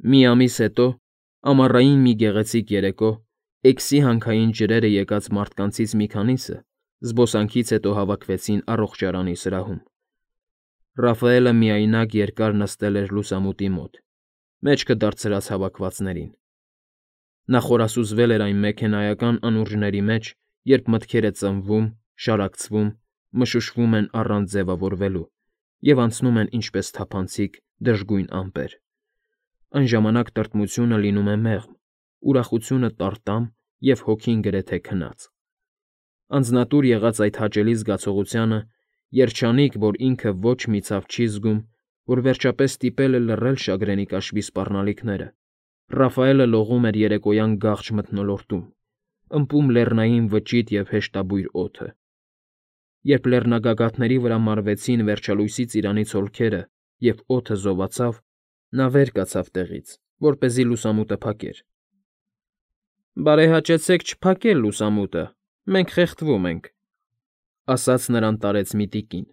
Մի ամիս հետո, ամառային մի գեղեցիկ երեկո, Էքսի հանքային ջրերը եկած մարդկանցից մի քանիսը զբոսանքից հետո հավաքվեցին առողջարանի սրահում։ Ռաֆայելը միայնակ երկար նստել էր լուսամուտի մոտ, մեջքը դարձրած հավաքվածներին։ Նա խորասուզվել էր այն մեքենայական անուրջների մեջ, երբ մտքերը ծնվում, շարակցվում, մշուշվում են առանց ձևավորվելու և անցնում են ինչպես թափանցիկ, դժգույն ամպեր։ Այն ժամանակ տրտմությունը լինում է մեղմ, ուրախությունը տարտամ և հոգին գրեթե քնած։ Անձնատուր եղած այդ հաճելի զգացողությանը, երջանիկ, որ ինքը ոչ մի ցավ չի զգում, որ վերջապես ստիպել է լռել շագրենի կաշվի սպառնալիքները, Ռաֆայելը լողում էր երեկոյան գաղջ մթնոլորտում, ըմպում լեռնային վճիտ և հեշտաբույր օդը։ Երբ լեռնագագաթների վրա մարվեցին վերջալույսի ծիրանից հոլքերը և օդը զովացավ, նա վեր կացավ տեղից, որպեսզի լուսամուտը փակեր։ «Բարեհաճեցեք չփակել լուսամուտը, մենք խեղդվում ենք», ֊ ասաց նրան տարեց մի տիկին։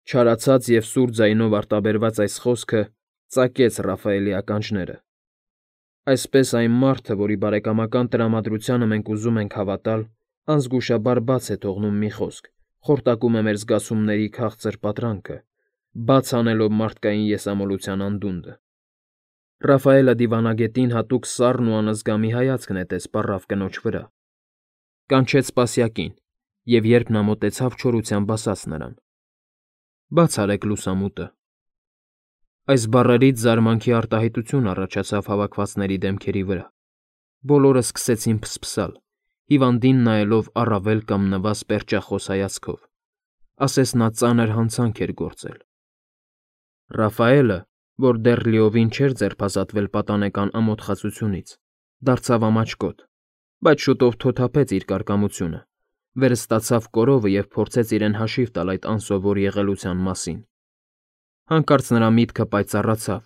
Չարացած և սուր ձայնով արտաբերված այս խոսքը ծակեց Ռաֆայելի ականջները։ Այսպես այն մարդը, որի բարեկամական տրամադրությանը մենք ուզում ենք հավատալ, անզգուշաբար բաց է թողնում մի խոսք, խորտակում է մեր զգացումների քաղցր պատրանքը, բաց անելով մարդկային եսամոլության անդունդը։ Ռաֆայելը դիվանագետին հատուկ սառն ու անզգա մի հայացք նետեց պառավ կնոջ վրա, կանչեց սպասյակին և, երբ նա մոտեցավ, չորությամբ ասաց նրան. «Բաց արեք լուսամուտը»։ Այս բառերից զարմանքի արտահայտություն առաջացավ հավաքվածների դեմքերի վրա։ Բոլորը սկսեցին փսփսալ, հիվանդին նայելով առավել կամ նվազ պերճախոս հայացքով, ասես նա ծանր հանցանք էր գործել։ Ռաֆայելը, որ դեռ լիովին չէր ձերբազատվել պատանեկան ամոթխածությունից, դարձավ ամաչկոտ, բայց շուտով թոթափեց իր կարկամությունը, վերստացավ կորովը և փորձեց իրեն հաշիվ տալ այդ անսովոր եղելության մասին։ Հանկարծ նրա միտքը պայծառացավ,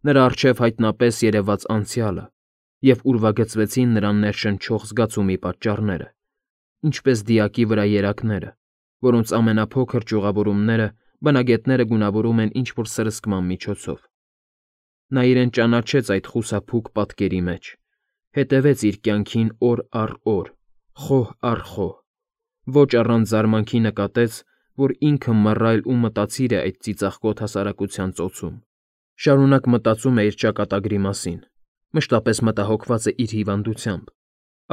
նրա առջև հայտնապես երևաց անցյալը, և ուրվագծվեցին նրան ներշնչող զգացումի պատճառները, ինչպես դիակի վրա երակները, որոնց ամենափոքր ճյուղավորումները բնագետները գունավորում են ինչ֊որ սրսկման միջոցով։ Նա իրեն ճանաչեց այդ խուսափուկ պատկերի մեջ, հետևեց իր կյանքին օր առ օր, խոհ առ խոհ, ոչ առանց զարմանքի նկատեց, որ ինքը մռայլ ու մտածիր է այդ ծիծաղկոտ հասարակության ծոցում, շարունակ մտածում է իր ճակատագրի մասին, մշտապես մտահոգված է իր հիվանդությամբ,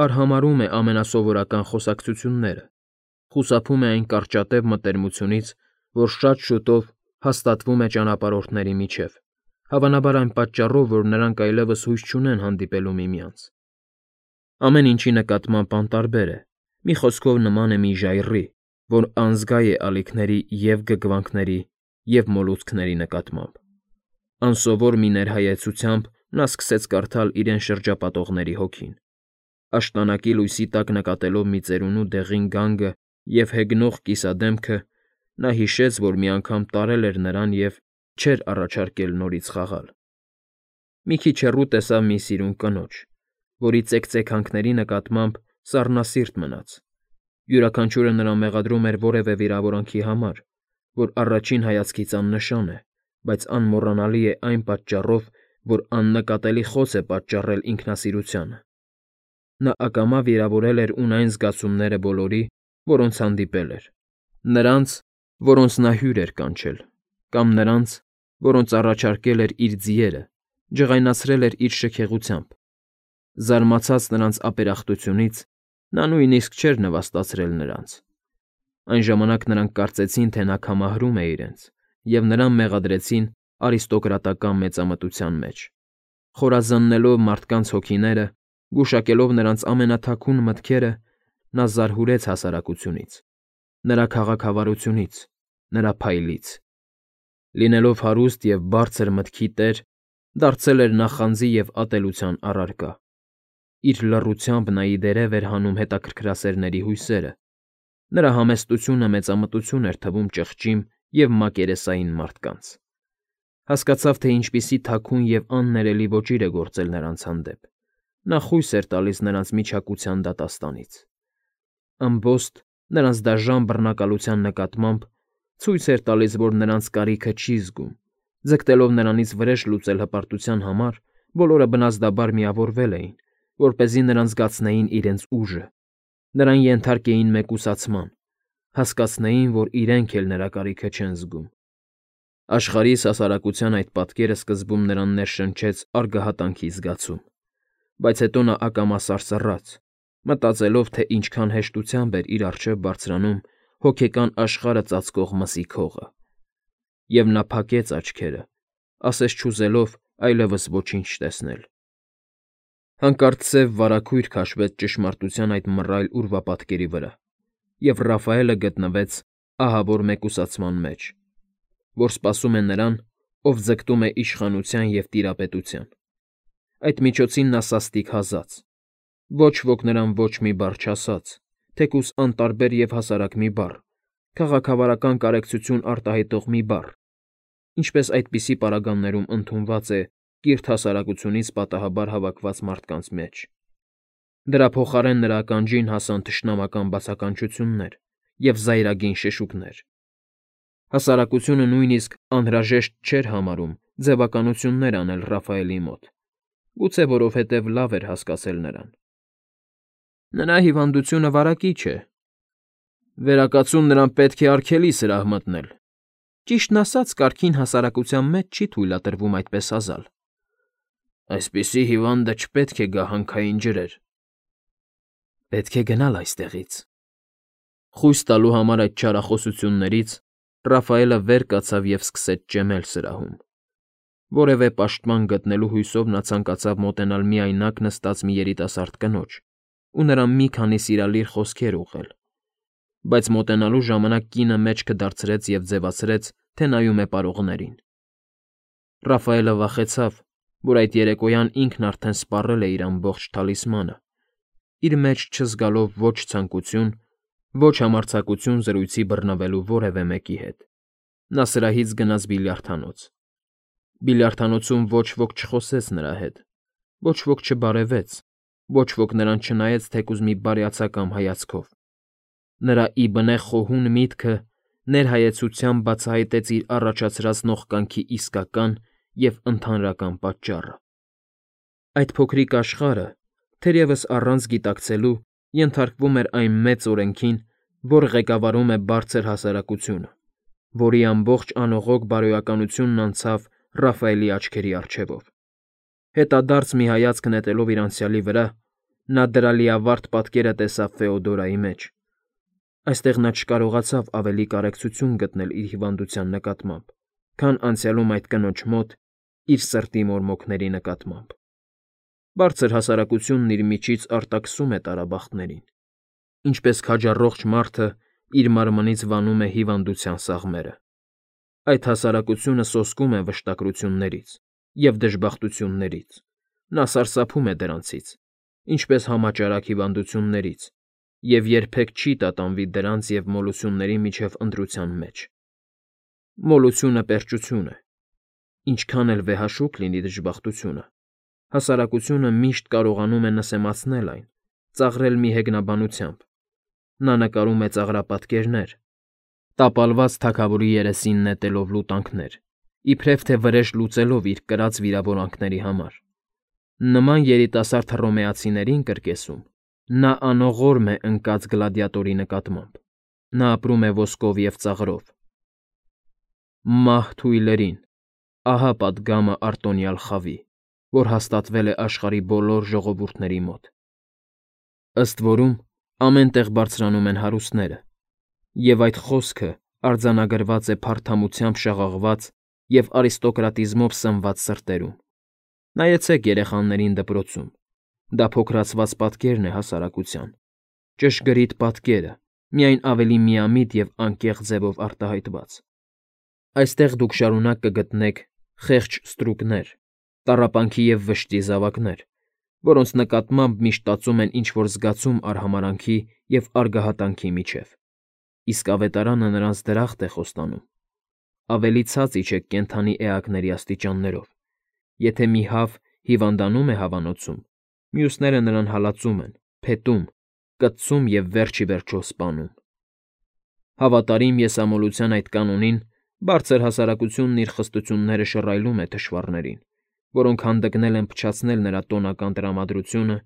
արհամարհում է ամենասովորական խոսակցությունները, խուսափում է այն կարճատև մտերմությունից, որ շատ շուտով հաստատվում է ճանապարհորդների միջև, հավանաբար այն պատճառով, որ նրանք այլևս հույս չունեն հանդիպելու միմյանց։ Ամեն ինչի նկատմամբ անտարբեր է, մի խոսքով նման է մի ժայռի, որ անզգա է ալիքների և գգվանքների և մոլուցքների նկատմամբ։ Անսովոր մի ներհայեցությամբ նա սկսեց կարդալ իրեն շրջապատողների հոգին։ Աշտանակի լույսի տակ նկատելով մի ծերունու դեղին գանգը և հեգնող կիսադեմքը, նա հիշեց, որ մի անգամ տարել էր նրան և չէր առաջարկել նորից խաղալ։ Մի քիչ հեռու տեսավ մի սիրուն կնոջ, որի ծեքծեքանքների նկատմամբ սառնասիրտ մնաց։ Յուրաքանչյուրը նրան մեղադրում էր որևէ վիրավորանքի համար, որ առաջին հայացքից աննշան է, բայց անմոռանալի է այն պատճառով, որ աննկատելի խոց է պատճառել ինքնասիրությանը։ Նա ակամա վիրավորել էր ունայն զգացումները բոլորի, որոնց հանդիպել էր. նրանց, որոնց նա հյուր էր կանչել, կամ նրանց, որոնց առաջարկել էր իր ձիերը, ջղայնացրել էր իր շքեղությամբ։ Զարմացած նրանց ապերախտությունից՝ նա նույնիսկ չէր նվաստացրել նրանց։ Այն ժամանակ նրանք կարծեցին, թե նա քամահրում է իրենց, և նրան մեղադրեցին արիստոկրատական մեծամտության մեջ։ Խորազննելով մարդկանց հոգիները, գուշակելով նրանց ամենաթաքուն մտքերը, նա զարհուրեց հասարակությունից, նրա քաղաքավարությունից, նրա փայլից։ Լինելով հարուստ և բարձր մտքի տեր, դարձել էր նախանձի և ատելության առարկա։ Իր լռությամբ նա ի դերև էր հանում հետաքրքրասերների հույսերը, նրա համեստությունը մեծամտություն էր թվում ճղճիմ և մակերեսային մարդկանց։ Հասկացավ, թե ինչպիսի թաքուն և աններելի ոճիր է գործել նրանց հանդեպ, նա խույս էր տալիս նրանց միջակության դատաստանից։ Ըմբոստ, նրանց դաժան բռնակալության նկատմամբ ցույց էր տալիս, որ նրանց կարիքը չի զգում, Ձգտելով նրանից վրեժ լուծել հպարտության համար, բոլորը բնազդաբար միավորվել էին, որպեսզի նրան զգացնեին իրենց ուժը, նրան ենթարկեին մեկուսացման, հասկացնեին, որ իրենք էլ նրա կարիքը չեն զգում։ Աշխարհի հասարակության այդ պատկերը սկզբում նրան ներշնչեց արգահատանքի զգացում, բայց հետո նա ակամա սարսռաց, մտածելով, թե ինչքան հեշտությամբ էր իր առջև բարձրանում հոգեկան աշխարհը ծածկող մսի քողը։ Եվ նա փակեց աչքերը, ասես չուզելով այլևս ոչինչ տեսնել։ Հանկարծ սև վարագույր քաշվեց ճշմարտության այդ մռայլ ուրվապատկերի վրա, և Ռաֆայելը գտնվեց ահավոր մեկուսացման մեջ, որ սպասում է նրան, ով ձգտում է իշխանության և տիրապետության։ Այդ միջոցին նա սաստիկ հազաց։ Ոչ ոք նրան ոչ մի բառ չասաց, թեկուզ անտարբեր և հասարակ մի բառ, քաղաքավարական կարեկցություն արտահայտող մի բառ, ինչպես այդպիսի պարագաներում ընդունված է կիրթ հասարակությունից պատահաբար հավաքված մարդկանց մեջ։ Դրա փոխարեն նրա ականջին հասան թշնամական բացականչություններ և զայրագին շշուկներ։ Հասարակությունը նույնիսկ անհրաժեշտ չէր համարում ձևականություններ անել Ռաֆայելի մոտ, գուցե որովհետև լավ էր հասկացել նրան։ Նրա հիվանդությունը վարակիչ է։ Վերակացուն նրան պետք է արգելի սրահ մտնել։ Ճիշտն ասած, կարգին հասարակության մեջ չի թույլատրվում այդպես ասալ։ Այսպիսի հիվանդը չպետք է գա հանքային ջրեր։ Պետք է գնալ այստեղից։ Խույս տալու համար այդ չարախոսություններից Ռաֆայելը վեր կացավ և սկսեց ճեմել սրահում։ Որևէ պաշտպան գտնելու հույսով նա ցանկացավ մոտենալ միայնակ նստած մի երիտասարդ կնոջ ու նրան մի քանի սիրալիր խոսքեր ուղղել, բայց մոտենալու ժամանակ կինը մեջքը դարձրեց և ձևացրեց, թե նայում է պարողներին։ Ռաֆայելը վախեցավ, որ այդ երեկոյան ինքն արդեն սպառել է իր ամբողջ թալիսմանը, իր մեջ չզգալով ոչ ցանկություն, ոչ համարձակություն զրույցի բռնվելու որևէ մեկի հետ։ Նա սրահից գնաց բիլիարդանոց։ Բիլիարդանոցում ոչ ոք չխոսեց նրա հետ, ոչ ոք չբարևեց, ոչ ոք նրան չնայեց թեկուզ մի բարյացակամ հայացքով։ Նրա իբնե խոհուն միտքը ներհայեցությամբ բացահայտեց իր առաջացրած նողկանքի իսկական և ընդհանրական պատճառը։ Այդ փոքրիկ աշխարհը, թերևս առանց գիտակցելու, ենթարկվում էր այն մեծ օրենքին, որ ղեկավարում է բարձր հասարակությունը, որի ամբողջ անողոք բարոյականությունն անցավ Ռաֆայելի աչքերի առջևով։ Հետադարձ մի հայացք նետելով իր անցյալի վրա, նա դրա լիավարտ պատկերը տեսավ Ֆեոդորայի մեջ։ Այստեղ նա չկարողացավ ավելի կարեկցություն գտնել իր հիվանդության նկատմամբ, քան անցյալում այդ կնոջ մոտ իր սրտի մորմոքների նկատմամբ։ Բարձր հասարակությունն իր միջից արտաքսում է տարաբախտներին, ինչպես քաջառողջ մարդը իր մարմնից վանում է հիվանդության սաղմերը։ Այդ հասարակությունը սոսկում է վշտակրություններից և դժբախտություններից, նա սարսափում է դրանցից, ինչպես համաճարակ հիվանդություններից, և երբեք չի տատանվի դրանց և մոլությունների միջև ընտրության մեջ։ Մոլությունը պերճություն է։ Ինչքան էլ վեհաշուկ լինի դժբախտությունը, հասարակությունը միշտ կարողանում է նսեմացնել այն, ծաղրել մի հեգնաբանությամբ։ Նա նկարում է ծաղրապատկերներ, տապալված թագավորի երեսին նետելով լուտանքներ, իբրև թե վրեժ լուծելով իր կրած վիրավորանքների համար։ Նման երիտասարդ հռոմեացիներին կրկեսում, նա անողորմ է ընկած գլադիատորի նկատմամբ։ Նա ապրում է ոսկով և ծաղրով։ Մահ թույլերին, ահա պատգամը արտոնյալ խավի, որ հաստատվել է աշխարհի բոլոր ժողովուրդների մոտ։ Ըստ որում, ամեն տեղ բարձրանում են հարուստները, և այդ խոսքը արձանագրված է փարթամությամբ շաղաղված և արիստոկրատիզմով սնված սրտերում։ Նայեցեք երեխաներին դպրոցում, դա փոքրացված պատկերն է հասարակության, ճշգրիտ պատկերը, միայն ավելի միամիտ և անկեղծ ձևով արտահայտված։ Այստեղ դուք շարունակ կգտնեք խեղճ ստրուկներ, տառապանքի և վշտի զավակներ, որոնց նկատմամբ միշտ տածում են ինչ֊որ զգացում արհամարհանքի և արգահատանքի միջև, իսկ ավետարանը նրանց դրախտ է խոստանում։ Ավելի ցած իջեք կենդանի էակների աստիճաններով։ Եթե մի հավ հիվանդանում է հավանոցում, մյուսները նրան հալածում են, փետում, կծում և վերջ ի վերջո սպանում։ Հավատարիմ եսամոլության այդ կանոնին Բարձր հասարակությունն իր խստությունները շռայլում է թշվառներին, որոնք հանդգնել են փչացնել նրա տոնական տրամադրությունը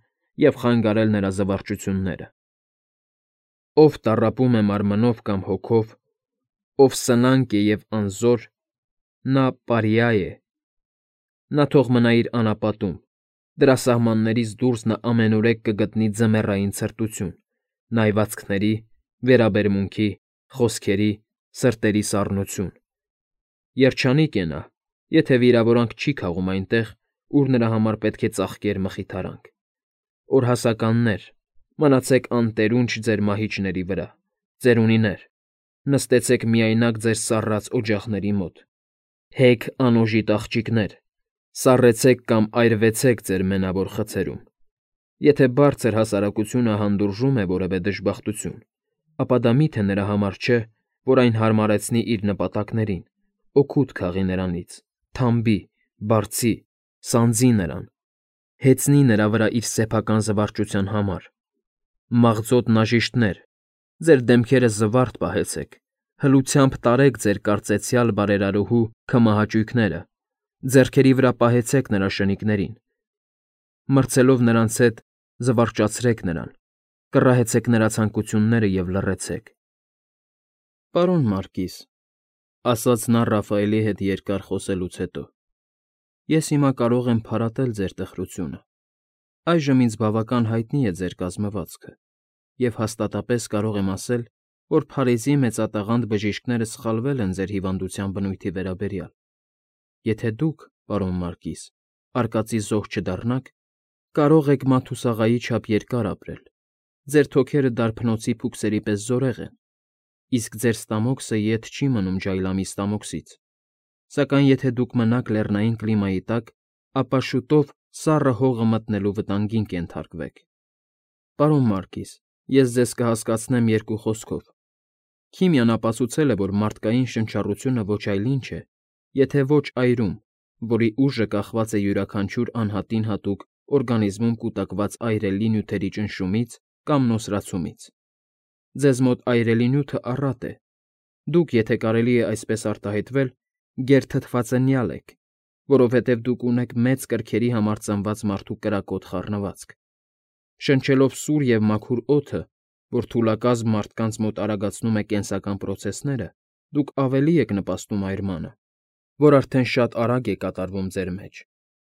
և խանգարել նրա զվարճությունները։ Ով տառապում է մարմնով կամ հոգով, ով սնանկ է և անզոր, նա պարիա է։ Նա թող մնա իր անապատում, դրա սահմաններից դուրս նա ամենուրեք կգտնի ձմեռային ցրտություն, նայվածքների, վերաբերմունքի, խոսքերի, սրտերի սառնություն։ Երջանիկ է նա, եթե վիրավորանք չի քաղում այնտեղ, ուր նրա համար պետք է ծաղկեր մխիթարանք։ Օրհասականներ, մնացեք անտերունջ ձեր մահիճների վրա, ծերունիներ, նստեցեք միայնակ ձեր սառած օջախների մոտ, հեգ անօժիտ աղջիկներ, սառեցեք կամ այրվեցեք ձեր մենավոր խցերում։ Եթե բարձր հասարակությունը հանդուրժում է որևէ դժբախտություն, ապա դա միթե նրա համար չէ, որ այն հարմարեցնի իր նպատակներին, օգուտ քաղի նրանից, թամբի, բարձի, սանձի նրան, հեծնի նրա վրա իր սեփական զվարճության համար։ Մաղձոտ նաժիշտներ, ձեր դեմքերը զվարթ պահեցեք, հլությամբ տարեք ձեր կարծեցյալ բարերարուհու քմահաճույքները, ձեռքերի վրա պահեցեք նրա շնիկներին, մրցելով նրանց հետ զվարճացրեք նրան, կռահեցեք նրա ցանկությունները և լռեցեք։ Պարոն Մարկիս, ասաց նա Ռաֆայելի հետ երկար խոսելուց հետո, ես հիմա կարող եմ փարատել ձեր տխրությունը։ Այժմ ինձ բավական հայտնի է ձեր կազմվածքը, և հաստատապես կարող եմ ասել, որ Փարիզի մեծատաղանդ բժիշկները սխալվել են ձեր հիվանդության բնույթի վերաբերյալ։ Եթե դուք, պարոն Մարկիս, արկածի զոհ չդառնաք, կարող եք Մաթուսաղայի չափ երկար ապրել։ Ձեր թոքերը դարբնոցի փուքսերի պես զորեղ են, իսկ ձեր ստամոքսը ետ չի մնում ջայլամի ստամոքսից։ Սակայն եթե դուք մնաք լեռնային կլիմայի տակ, ապա շուտով սառը հողը մտնելու վտանգին կենթարկվեք։ Պարոն Մարկիս, ես ձեզ կհասկացնեմ երկու խոսքով։ Քիմիան ապացուցել է, որ մարդկային շնչառությունը ոչ այլ ինչ է, եթե ոչ այրում, որի ուժը կախված է յուրաքանչյուր անհատին հատուկ օրգանիզմում կուտակված այրելի նյութերի ճնշումից կամ նոսրացումից։ Ձեզ մոտ այրելի նյութը առատ է։ Դուք, եթե կարելի է այսպես արտահայտվել, գերթթվածնյալ եք, որովհետև դուք ունեք մեծ կրքերի համար ծնված մարդու կրակոտ խառնվածք։ Շնչելով սուր և մաքուր օդը, որ թուլակազմ մարդկանց մոտ արագացնում է կենսական պրոցեսները, դուք ավելի եք նպաստում այրմանը, որ արդեն շատ արագ է կատարվում ձեր մեջ։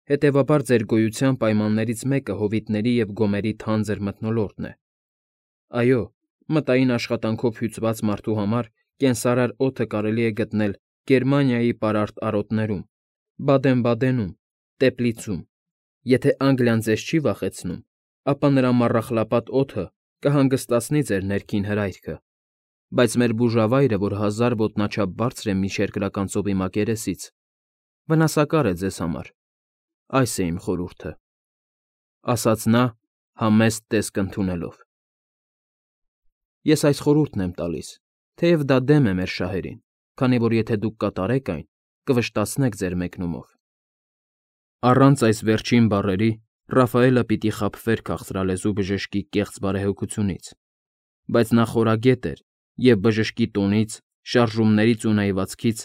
Հետևաբար ձեր գոյության պայմաններից մեկը հովիտների և գոմերի թանձր մթնոլորտն է։ Այո, մտային աշխատանքով հյուծված մարդու համար կենսարար օդը կարելի է գտնել Գերմանիայի պարարտ արոտներում, Բադեն֊Բադենում, Տեպլիցում։ Եթե Անգլիան ձեզ չի վախեցնում, ապա նրա մառախլապատ օդը կհանգստացնի ձեր ներքին հրայքը, բայց մեր բուժավայրը, որ 1000 ոտնաչափ բարձր է միջերկրական ծովի մակերեսից, վնասակար է ձեզ համար։ Այս է իմ խորհուրդը,֊ ասաց նա, համեստ տեսք ընդունելով։ Ես այս խորհուրդն եմ տալիս, թեև դա դեմ է մեր շահերին, քանի որ եթե դուք կատարեք այն, կվշտացնեք ձեր մեկնումով։ Առանց այս վերջին բառերի Ռաֆայելը պիտի խաբվեր քաղցրալեզու բժշկի կեղծ բարեհոգությունից, բայց նա խորագետ էր և բժշկի տոնից, շարժումներից ու նայվածքից,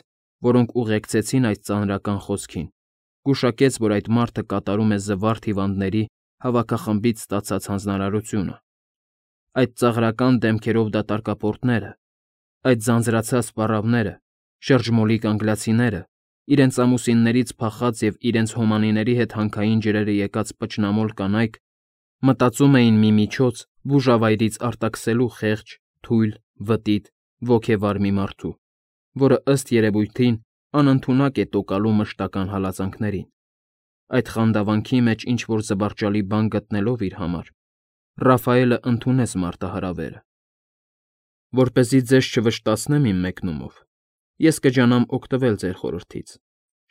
որոնք ուղեկցեցին այս ծանրական խոսքին, գուշակեց, որ այդ մարդը կատարում է զվարթ հիվանդների հավաքախմբից ստացած հանձնարարությունը։ Այդ ծաղրական դեմքերով դատարկապորտները, այդ ձանձրացած պառավները, շրջմոլիկ անգլիացիները, իրենց ամուսիններից փախած և իրենց հոմանիների հետ հանքային ջրերը եկած պճնամոլ կանայք մտածում էին մի միջոց բուժավայրից արտաքսելու խեղճ, թույլ, վտիտ, ոգևար մի մարդու, որը ըստ երևույթին անընդունակ է տոկալու մշտական հալածանքներին։ Այդ խանդավանքի մեջ ինչ-որ զվարճալի բան գտնելով իր համար, Ռաֆայելը ընդունեց մարտահրավերը։ Որպեսզի ձեզ չվշտացնեմ իմ մեկնումով, ես կջանամ օգտվել ձեր խորհրդից,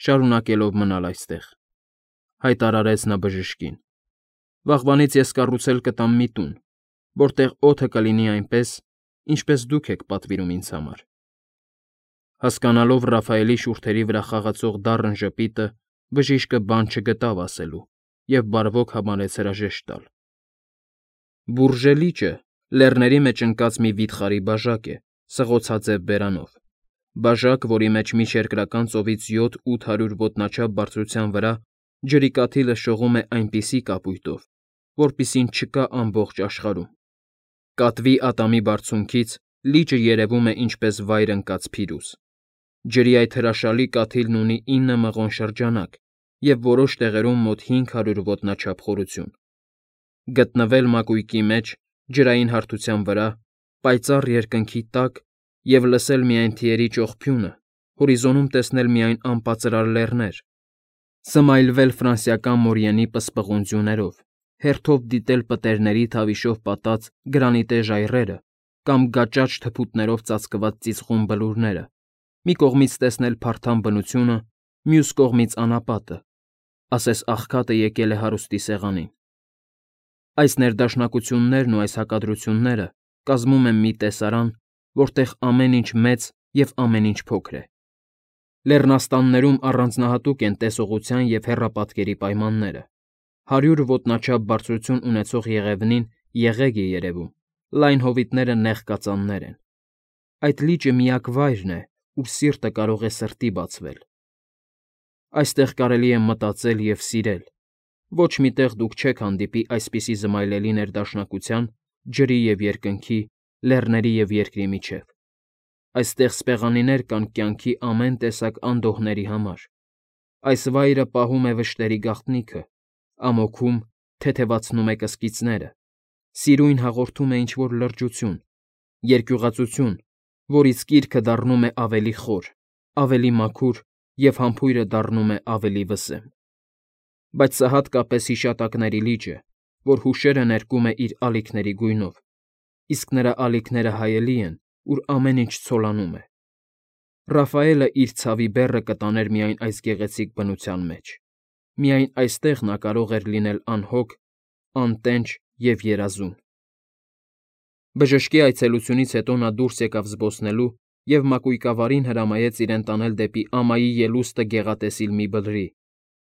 շարունակելով մնալ այստեղ,֊ հայտարարեց նա բժշկին։ Վաղվանից ես կառուցել կտամ մի տուն, որտեղ օդը կլինի այնպես, ինչպես դուք եք պատվիրում ինձ համար։ Հասկանալով Ռաֆայելի շուրթերի վրա խաղացող դառն ժպիտը, բժիշկը բան չգտավ ասելու և բարվոք համարեց հրաժեշտ տալ։ Բուրժե լիճը լեռների մեջ ընկած մի վիթխարի բաժակ է, սղոցաձև բերանով, Բաժակ, որի մեջ միջերկրական ծովից 7-800 ոտնաչափ բարձրության վրա ջրի կաթիլը շողում է այնպիսի կապույտով, որպիսին չկա ամբողջ աշխարհում։ Կատվի ատամի բարձունքից լիճը երևում է ինչպես վայր ընկած փիրուզ։ Ջրի այդ հրաշալի կաթիլն ունի 9 մղոն շրջանակ և որոշ տեղերում մոտ 500 ոտնաչափ խորություն։ Գտնվել մակույկի մեջ, ջրային հարթության վրա, պայծառ երկնքի տակ և լսել միայն թիերի ճողփյունը, հորիզոնում տեսնել միայն անպածրար լեռներ, սմայլվել ֆրանսիական Մորիենի պսպղուն ձյուներով, հերթով դիտել պտերների թավիշով պատած գրանիտե ժայռերը կամ գաճաճ թփուտներով ծածկված ծիծխուն բլուրները, մի կողմից տեսնել փարթամ բնությունը, մյուս կողմից անապատը, ասես աղքատը եկել է հարուստի սեղանին։ Այս ներդաշնակություններն ու այս հակադրությունները կազմում են մի տեսարան, որտեղ ամեն ինչ մեծ և ամեն ինչ փոքր է։ Լեռնաստաններում առանձնահատուկ են տեսողության և հեռապատկերի պայմանները։ 100 ոտնաչափ բարձրություն ունեցող եղևնին եղեգ է երևում, լայն հովիտները նեղ կածաններ են։ Այդ լիճը միակ վայրն է, ուր սիրտը կարող է սրտի բացվել։ Այստեղ կարելի է մտածել և սիրել։ Ոչ մի տեղ դուք չեք հանդիպի այսպիսի զմայլելի ներդաշնակության, ջրի և երկնքի, լեռների և երկրի միջև։ Այստեղ սպեղանիներ կան կյանքի ամեն տեսակ անդոհների համար։ Այս վայրը պահում է վշտերի գաղտնիքը, ամոքում, թեթևացնում է կսկիծները, սիրուն հաղորդում է ինչ֊որ լրջություն, երկյուղածություն, որից կիրքը դառնում է ավելի խոր, ավելի մաքուր և համբույրը դառնում է ավելի վսեմ։ Բայց սա հատկապես հիշատակների լիճ է, որ հուշերը ներկում է իր ալիքների գույնով, իսկ նրա ալիքները հայելի են, ուր ամեն ինչ ցոլանում է։ Ռաֆայելը իր ցավի բեռը կտաներ միայն այս գեղեցիկ բնության մեջ։ Միայն այստեղ նա կարող էր լինել անհոգ, անտենջ և երազուն։ Բժշկի այցելությունից հետո նա դուրս եկավ զբոսնելու և մակույկավարին հրամայեց իրեն տանել դեպի ամայի ելուստը գեղատեսիլ մի բլրի,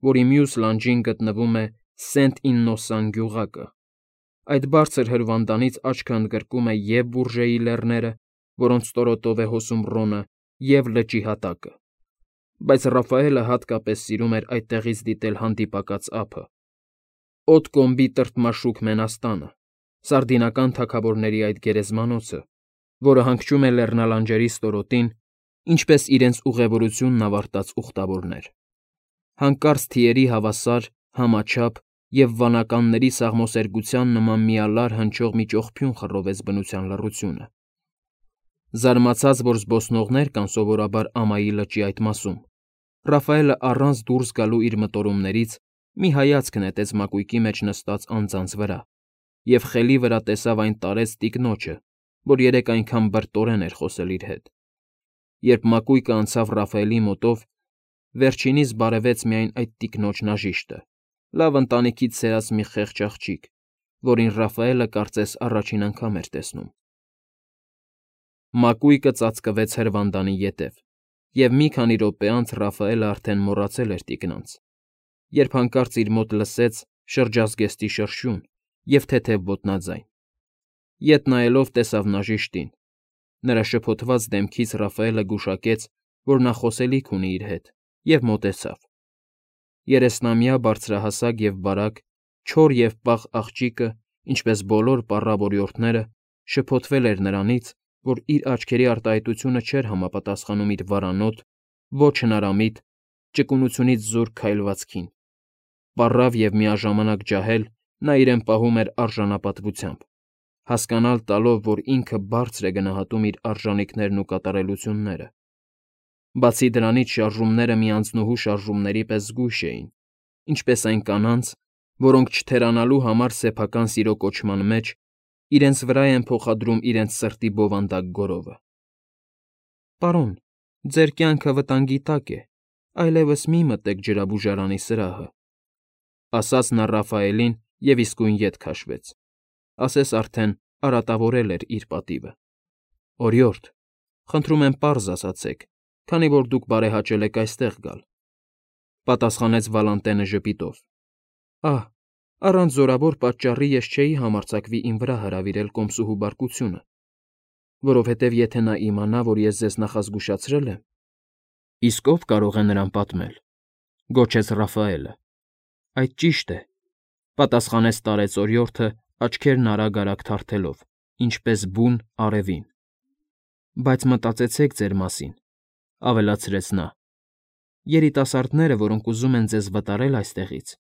որի մյուս լանջին գտնվում է Սենտ֊Իննոսան գյուղակը։ Այդ բարձր հրվանդանից աչքը ընդգրկում է և Բուրժեի լեռները, որոնց ստորոտով է հոսում Ռոնը, և լճի հատակը։ Բայց Ռաֆայելը հատկապես սիրում էր այդտեղից դիտել հանդիպակաց ափը, Օտկոմբի տրտմաշուք Մենաստանը, սարդինական թագավորների այդ գերեզմանոցը, որը հանգչում է լեռնալանջերի ստորոտին, ինչպես իրենց ուղևորությունն ավարտած ուխտավորներ։ Հանկարծ թիերի հավասար, համաչափ և վանականների սաղմոսերգության նման միալար հնչող մի ճողփյուն խռովեց բնության լռությունը։ Զարմացած, որ զբոսնողներ կան սովորաբար ամայի լճի այդ մասում, Ռաֆայելը առանց դուրս գալու իր մտորումներից մի հայացք նետեց մակույկի մեջ նստած անձանց վրա և խելի վրա տեսավ այն տարեց տիկնոջը, որ երեկ այնքան բրտորեն էր խոսել իր հետ։ Երբ մակույկը անցավ Ռաֆայելի մոտով, վերջինիս բարևեց միայն այդ տիկնոջ նաժիշտը, լավ ընտանիքից սերած մի խեղճ աղջիկ, որին Ռաֆայելը կարծես առաջին անգամ էր տեսնում։ Մակույկը ծածկվեց հրվանդանի ետև, և մի քանի րոպե անց Ռաֆայելը արդեն մոռացել էր տիկնանց, երբ հանկարծ իր մոտ լսեց շրջազգեստի շրշյուն և թեթև ոտնաձայն։ Ետ նայելով տեսավ նաժիշտին։ Նրա շփոթված դեմքից Ռաֆայելը գուշակեց, որ նա խոսելիք ունի իր հետ, և մոտեցավ։ 30-ամյա բարձրահասակ և բարակ, չոր և պաղ աղջիկը, ինչպես բոլոր պառավ օրիորդները, շփոթվել էր նրանից, որ իր աչքերի արտահայտությունը չէր համապատասխանում իր վարանոտ, ոչ հնարամիտ, ճկունությունից զուրկ քայլվածքին։ Պառավ և միաժամանակ ջահել, նա իրեն պահում էր արժանապատվությամբ, հասկանալ տալով, որ ինքը բարձր է գնահատում իր արժանիքներն ու կատարելությունները։ Բացի դրանից շարժումները մի անձնուհու շարժումների պես զգույշ էին, ինչպես այն կանանց, որոնք չթերանալու համար սեփական սիրո կոչման մեջ իրենց վրա են փոխադրում իրենց սրտի բովանդակ գորովը։ Պարոն, ձեր կյանքը վտանգի տակ է, այլևս մի մտեք ջրաբուժարանի սրահը, ասաց նա Ռաֆայելին և իսկույն ետ քաշվեց, ասես արդեն արատավորել էր իր պատիվը։ Օրիորդ, խնդրում եմ պարզ ասացեք, քանի որ դուք բարեհաճել եք այստեղ գալ, պատասխանեց Վալանտենը ժպիտով։ Ահ, առանց զորավոր պատճառի ես չէի համարձակվի իմ վրա հրավիրել կոմսուհու բարկությունը։ որովհետև եթե նա իմանա, որ ես ձեզ նախազգուշացրել եմ։ Իսկ ով կարող է նրան պատմել,֊ գոչեց Ռաֆայելը։ Այդ ճիշտ է,֊ պատասխանեց տարեց օրիորդը, աչքերն արագ-արագ թարթելով, ինչպես բուն արևին։ Բայց մտածեցեք ձեր մասին,֊ ավելացրեց նա։ Երիտասարդները, որոնք ուզում են ձեզ վտարել այստեղից,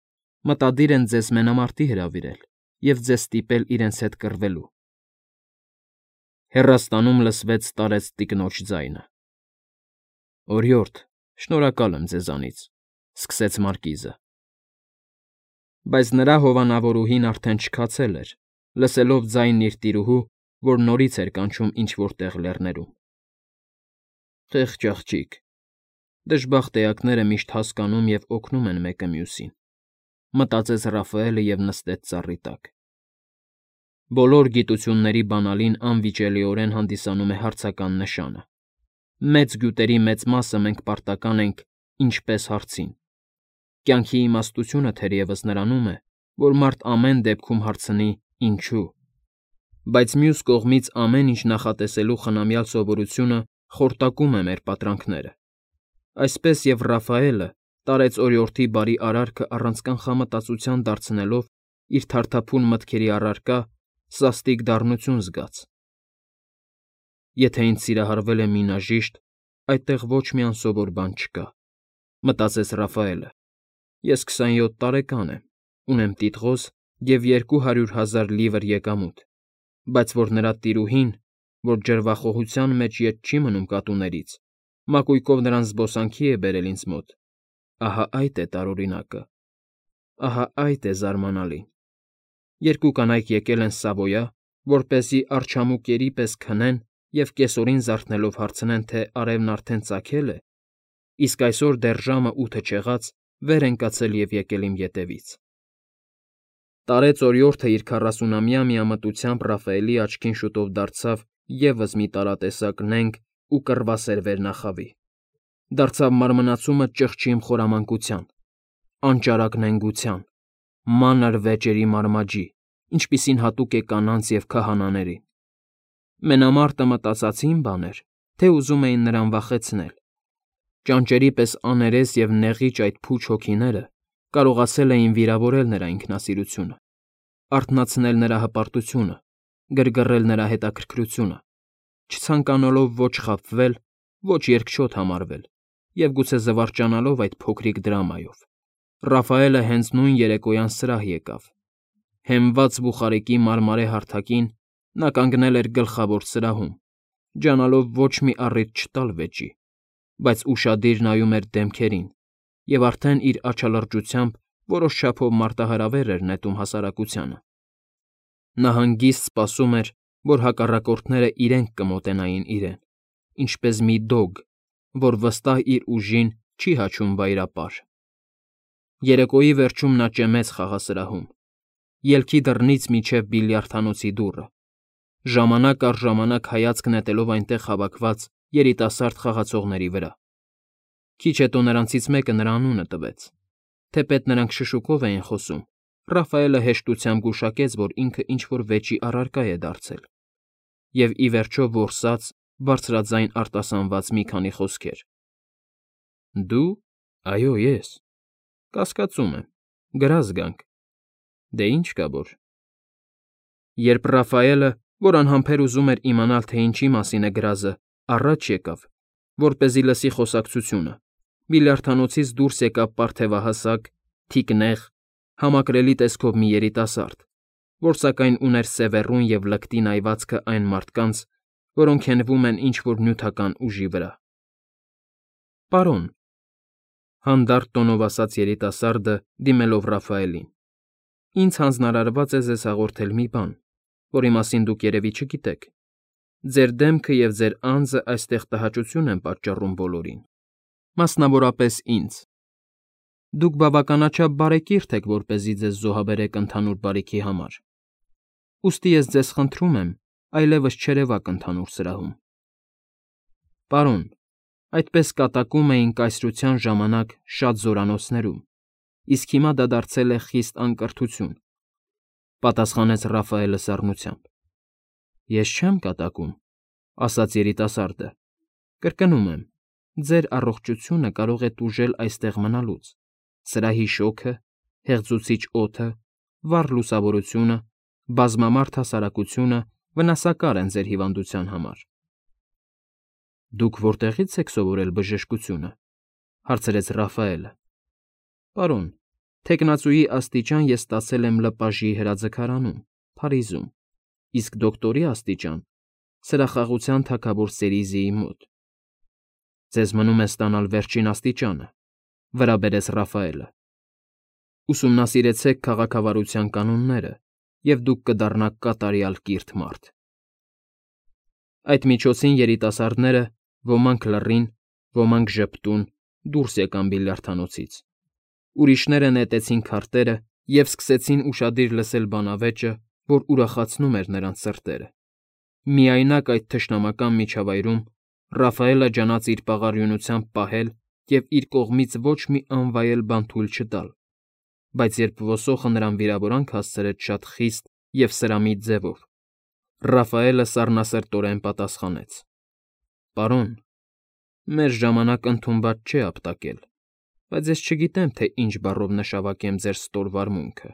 մտադիր են ձեզ մենամարտի հրավիրել և ձեզ ստիպել իրենց հետ կռվելու։ Հեռաստանում լսվեց տարեց տիկնոջ ձայնը։ Օրիորդ, շնորհակալ եմ ձեզանից,֊ սկսեց մարկիզը։ Բայց նրա հովանավորուհին արդեն չքացել էր, լսելով ձայնն իր տիրուհու, որ նորից էր կանչում ինչ֊որ տեղ լեռներում։ Խեղճ աղջիկ, դժբախտ էակները միշտ հասկանում և օգնում են մեկը մյուսին,֊ մտածեց Ռաֆայելը և նստեց ծառի տակ։ Բոլոր գիտությունների բանալին անվիճելիորեն հանդիսանում է հարցական նշանը։ Մեծ գյուտերի մեծ մասը մենք պարտական ենք «ինչպես» հարցին։ Կյանքի իմաստությունը թերևս նրանում է, որ մարդ ամեն դեպքում հարցնի «ինչո՞ւ»։ Բայց մյուս կողմից ամեն ինչ նախատեսելու խնամյալ սովորությունը խորտակում է մեր պատրանքները։ Այսպես և Ռաֆայելը, տարեց օրիորդի բարի արարքը առանց կանխամտածության դարձնելով իր թարթափուն մտքերի առարկա, սաստիկ դառնություն զգաց։ Եթե ինձ սիրահարվել է մինաժիշտ, այդտեղ ոչ մի անսովոր բան չկա,֊ մտածեց Ռաֆայելը։ Ես 27 տարեկան եմ, ունեմ տիտղոս և 200,000 լիվր եկամուտ, բայց որ նրա տիրուհին, որ ջրվախողության մեջ ետ չի մնում կատուներից, մակույկով նրան զբոսանքի է բերել ինձ մոտ, ահա այդ է տարօրինակը, ահա այդ է զարմանալին։ Երկու կանայք եկել են Սավոյա, որպեսզի արջամուկերի պես քնեն և կեսօրին զարթնելով հարցնեն, թե արևն արդեն ծագե՞լ է, իսկ այսօր դեռ ժամը 8 չեղած վեր են կացել և եկել իմ ետևից։ Տարեց օրիորդը իր 40-ամյա միամտությամբ Ռաֆայելի աչքին շուտով դարձավ ևս մի տարատեսակ նենգ ու կռվասեր վերնախավի։ Դարձավ մարմնացումը ճղճիմ խորամանկության, անճարակ նենգության, մանր վեճերի մարմաջի, ինչպիսին հատուկ է կանանց և քահանաներին։ Մենամարտը մտածածին բան էր, թե ուզում էին նրան վախեցնել։ Ճանճերի պես աներես և նեղիչ այդ փուչ հոգիները կարողացել էին վիրավորել նրա ինքնասիրությունը, արթնացնել նրա հպարտությունը, գրգռել նրա հետաքրքրությունը, չցանկանալով ոչ խաբվել, ոչ երկչոտ համարվել և գուցե զվարճանալով այդ փոքրիկ դրամայով։ Ռաֆայելը հենց նույն երեկոյան սրահ եկավ։ Հենված բուխարիկի մարմարե հարթակին նա կանգնել էր գլխավոր սրահում, ջանալով ոչ մի առիթ չտալ վեճի, բայց ուշադիր նայում էր դեմքերին և արդեն իր աչալրջությամբ որոշ չափով մարտահրավեր էր նետում հասարակությանը։ Նա հանգիստ սպասում էր, որ հակառակորդները իրենք կմոտենային իրեն, ինչպես մի դոգ, որ վստահ իր ուժին չի հաչում վայրապար։ Երեկոյի վերջում նա ճեմեց խաղասրահում, ելքի դռնից մինչև բիլիարդանոցի դուռը, ժամանակ առ ժամանակ հայացք նետելով այնտեղ հավաքված երիտասարդ խաղացողների վրա։ Քիչ հետո նրանցից մեկը նրա անունը տվեց։ Թեպետ նրանք շշուկով էին խոսում, Ռաֆայելը հեշտությամբ գուշակեց, որ ինքը ինչ֊որ վեճի առարկա է դարձել, և ի վերջո որսաց բարձրաձայն արտասանված մի քանի խոսքեր։ Դու… Այո, ես… Կասկածում եմ, գրազ գանք… Դե ինչ կա որ… Երբ Ռաֆայելը, որ անհամբեր ուզում էր իմանալ, թե ինչի մասին է գրազը, առաջ եկավ, որպեսզի լսի խոսակցությունը, բիլիարդանոցից դուրս եկավ պարթևահասակ, թիկնեղ, համակրելի տեսքով մի երիտասարդ, որ սակայն ուներ սևեռուն և լկտի նայվածքը այն մարդկանց, որոնք հենվում են ինչ֊որ նյութական ուժի վրա։ Պարոն,֊ հանդարտ տոնով ասաց երիտասարդը, դիմելով Ռաֆայելին,֊ ինձ հանձնարարված է ձեզ հաղորդել մի բան, որի մասին դուք երևի չգիտեք։ Ձեր դեմքը և ձեր անձը այստեղ տհաճություն են պատճառում բոլորին, մասնավորապես ինձ։ Դուք բավականաչափ բարեկիրթ եք, որպեսզի ձեզ զոհաբերեք ընդհանուր բարիքի համար, ուստի ես ձեզ խնդրում եմ այլևս չերևաք ընդհանուր սրահում։ Պարոն, այդպես կատակում էին կայսրության ժամանակ շատ զորանոցներում, իսկ հիմա դա դարձել է խիստ անկրթություն,֊ պատասխանեց Ռաֆայելը սառնությամբ։ Ես չեմ կատակում, ասաց երիտասարդը։ Կրկնում եմ, ձեր առողջությունը կարող է տուժել այստեղ մնալուց։ Սրահի շոգը, հեղձուցիչ օդը, վառ լուսավորությունը, բազմամարդ հասարակությունը վնասակար են ձեր հիվանդության համար։ Դուք որտեղի՞ց եք սովորել բժշկությունը, հարցրեց Ռաֆայելը։ Պարոն, թեկնածուի աստիճան ես ստացել եմ ԼՊԱԺ-ի հրաձգարանում, Փարիզում, իսկ դոկտորի աստիճան սրախաղության թագավոր Սերիզիի մոտ։ Ձեզ մնում է ստանալ վերջին աստիճանը, վրա բերեց Ռաֆայելը։ Ուսումնասիրեցեք քաղաքավարության կանոնները, և դուք կդառնաք կատարյալ կիրթ մարդ։ Այդ միջոցին երիտասարդները, ոմանք լռին, ոմանք ժպտուն, դուրս եկան բիլիարդանոցից։ Ուրիշները նետեցին քարտերը և սկսեցին ուշադիր լսել բանավեճը, որ ուրախացնում էր նրանց սրտերը։ Միայնակ այդ թշնամական միջավայրում Ռաֆայելը ջանաց իր պաղարյունությամբ պահել և իր կողմից ոչ մի անվայել բան թույլ չտալ, բայց երբ ոսոխը նրան վիրավորանք հասցրեց շատ խիստ և սրամիտ ձևով, Ռաֆայելը սառնասրտորեն պատասխանեց. Պարոն, մեր ժամանակ ընդունված չէ ապտակել, բայց ես չգիտեմ, թե ինչ բառով նշավարկեմ ձեր ստոր վարմունքը։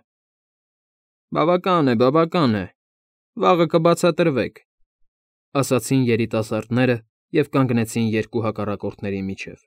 Բավական է, վաղը կբացատրվեք, ասացին երիտասարդները և կանգնեցին երկու հակառակորդների միջև։